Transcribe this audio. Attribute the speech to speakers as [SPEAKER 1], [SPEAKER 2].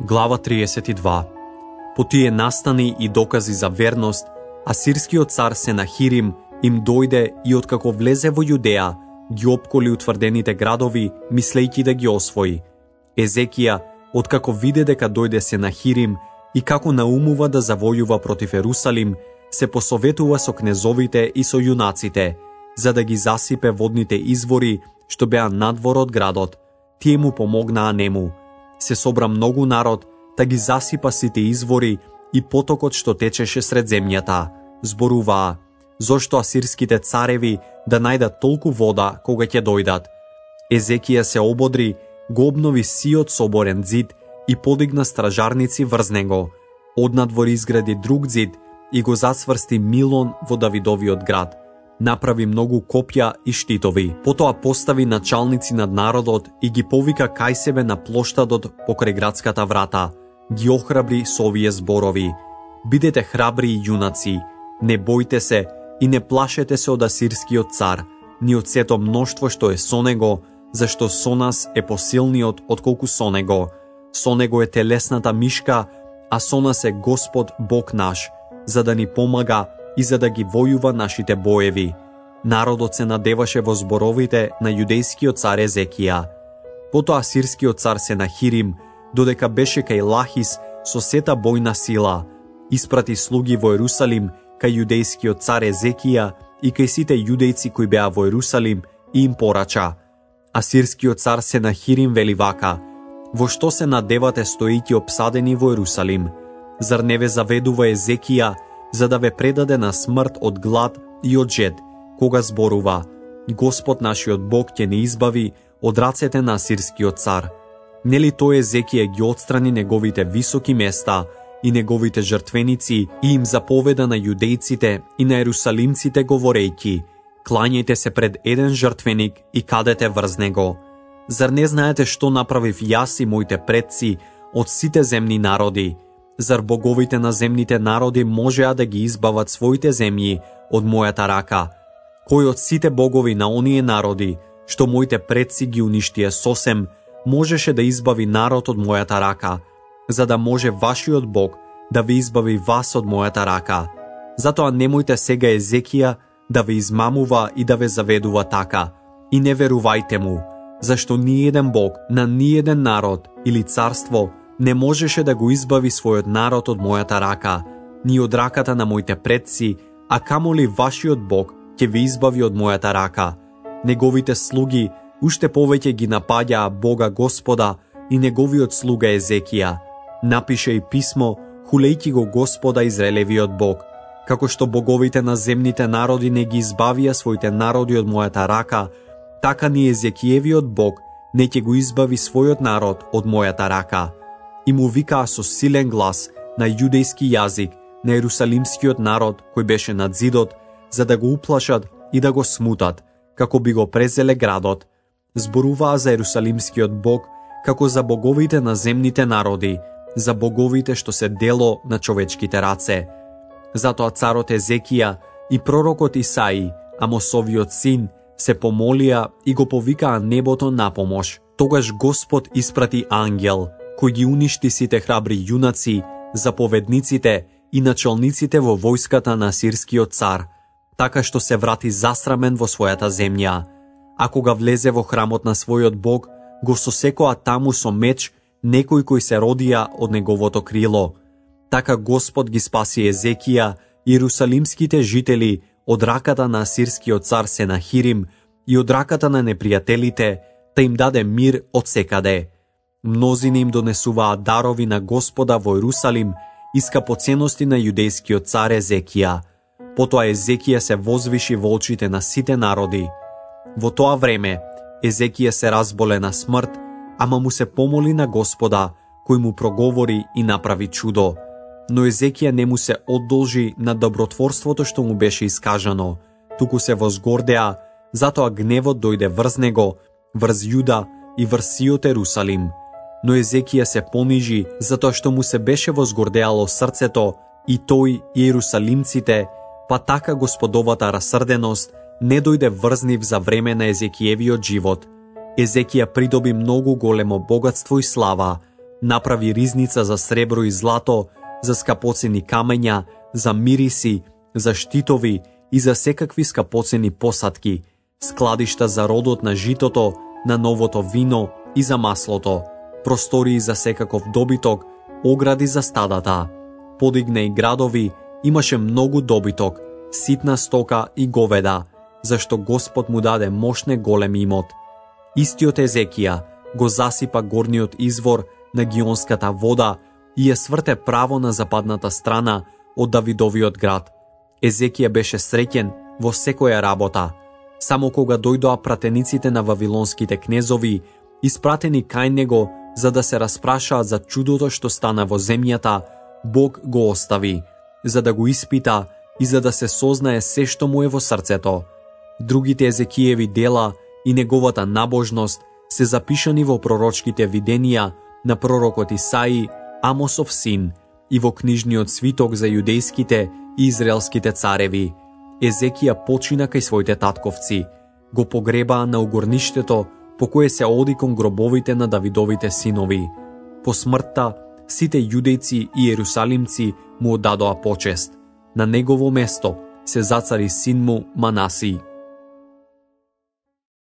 [SPEAKER 1] Глава 32. По тие настани и докази за верност, асирскиот цар Сенахирим им дојде и откако влезе во Јудеја, ги опколи утврдените градови, мислејќи да ги освои. Езекија, откако виде дека дојде Сенахирим и како наумува да завојува против Ерусалим, се посоветува со кнезовите и со јунаците, за да ги засипе водните извори што беа надвор од градот. Тие му помогнаа нему. Се собра многу народ, да ги засипа сите извори и потокот што течеше сред земјата. Зборуваа, зошто асирските цареви да најдат толку вода кога ќе дојдат. Езекија се ободри, го обнови сиот соборен зид и подигна стражарници врз него. Однадвор изгради друг зид и го засврсти Милон во Давидовиот град. Направи многу копја и штитови. Потоа постави началници над народот и ги повика кај себе на плоштадот покрај градската врата. Ги охрабри со овие зборови: бидете храбри и јунаци, не бојте се и не плашете се од асирскиот цар, ни од сето мноштво што е со него, зашто со нас е посилниот отколку со него. Со него е телесната мишка, а со нас е Господ Бог наш, за да ни помага и за да ги војува нашите боеви. Народот се надеваше во зборовите на јудејскиот цар Езекија. Потоа асирскиот цар Сенахирим, додека беше кај Лахис со сета бојна сила, испрати слуги во Ерусалим кај јудејскиот цар Езекија и кај сите јудејци кои беа во Ерусалим и им порача: асирскиот цар Сенахирим вели вака: во што се надевате стоејќи обсадени во Ерусалим? Зар не ве заведува Езекија за да ве предаде на смрт од глад и од жед, кога зборува: Господ нашиот Бог ќе не избави од рацете на асирскиот цар? Нели тој Езекија ги отстрани неговите високи места и неговите жртвеници и им заповеда на јудејците и на ерусалимците говорејќи: клањајте се пред еден жртвеник и кадете врз него? Зар не знаете што направив јас и моите предци од сите земни народи? Зар боговите на земните народи можеа да ги избават своите земји од мојата рака? Кој од сите богови на оние народи, што моите предци ги уништија сосем, можеше да избави народ од мојата рака, за да може вашиот Бог да ви избави вас од мојата рака? Затоа немојте сега Езекија да ве измамува и да ве заведува така, и не верувајте му, зашто ниеден Бог на ниеден народ или царство не можеше да го избави својот народ од мојата рака, ни од раката на моите предци, а камоли вашиот Бог ќе ви избави од мојата рака. Неговите слуги уште повеќе ги напаѓаа Бога Господа и неговиот слуга Езекија. Напише и писмо, хулејќи го Господа Израелевиот Бог. Како што боговите на земните народи не ги избавија своите народи од мојата рака, така ни Езекиевиот Бог не ќе го избави својот народ од мојата рака. И му викаа со силен глас на јудејски јазик на ерусалимскиот народ кој беше над зидот, за да го уплашат и да го смутат, како би го презеле градот. Зборуваа за ерусалимскиот Бог како за боговите на земните народи, за боговите што се дело на човечките раце. Затоа царот Езекија и пророкот Исаи, Амосовиот син, се помолија и го повикаа небото на помош. Тогаш Господ испрати ангел, кој ги уништи сите храбри јунаци, заповедниците и началниците во војската на асирскиот цар, така што се врати засрамен во својата земја. А кога влезе во храмот на својот Бог, го сосекоа таму со меч некои кои се родија од неговото крило. Така Господ ги спаси Езекија и ерусалимските жители од раката на асирскиот цар Сенахирим и од раката на непријателите, да им даде мир од секаде. Мнозини им донесуваа дарови на Господа во Ерусалим и скапоценности на јудејскиот цар Езекија. Потоа Езекија се возвиши во очите на сите народи. Во тоа време Езекија се разболе на смрт, ама му се помоли на Господа, кој му проговори и направи чудо. Но Езекија не му се одолжи на добротворството што му беше искажано, туку се возгордеа, затоа гневот дојде врз него, врз Јуда и врз сиот Ерусалим. Но Езекија се понижи, затоа што му се беше возгордеало срцето, и тој и ерусалимците, па така Господовата расрденост не дојде врз нив за време на Езекиевиот живот. Езекија придоби многу големо богатство и слава, Направи ризница за сребро и злато, за скапоцени камења, за мириси, за штитови и за секакви скапоцени посадки, складишта за родот на житото, на новото вино и за маслото, простории за секаков добиток, огради за стадата. Подигна и градови, имаше многу добиток, ситна стока и говеда, зашто Господ му даде мошне голем имот. Истиот Езекија го засипа горниот извор на Гионската вода и ја сврте право на западната страна од Давидовиот град. Езекија беше среќен во секоја работа. Само кога дојдоа пратениците на вавилонските кнезови, испратени кај него за да се распрашаат за чудото што стана во земјата, Бог го остави, за да го испита и за да се сознае се што му е во срцето. Другите Езекиеви дела и неговата набожност се запишани во пророчките виденија на пророкот Исаи, Амосов син, и во книжниот свиток за јудејските и израелските цареви. Езекија почина кај своите татковци, го погребаа на угорништето по кое се оди кон гробовите на Давидовите синови. По смртта, сите јудејци и јерусалимци му оддадоа почест. На негово место се зацари син му Манаси.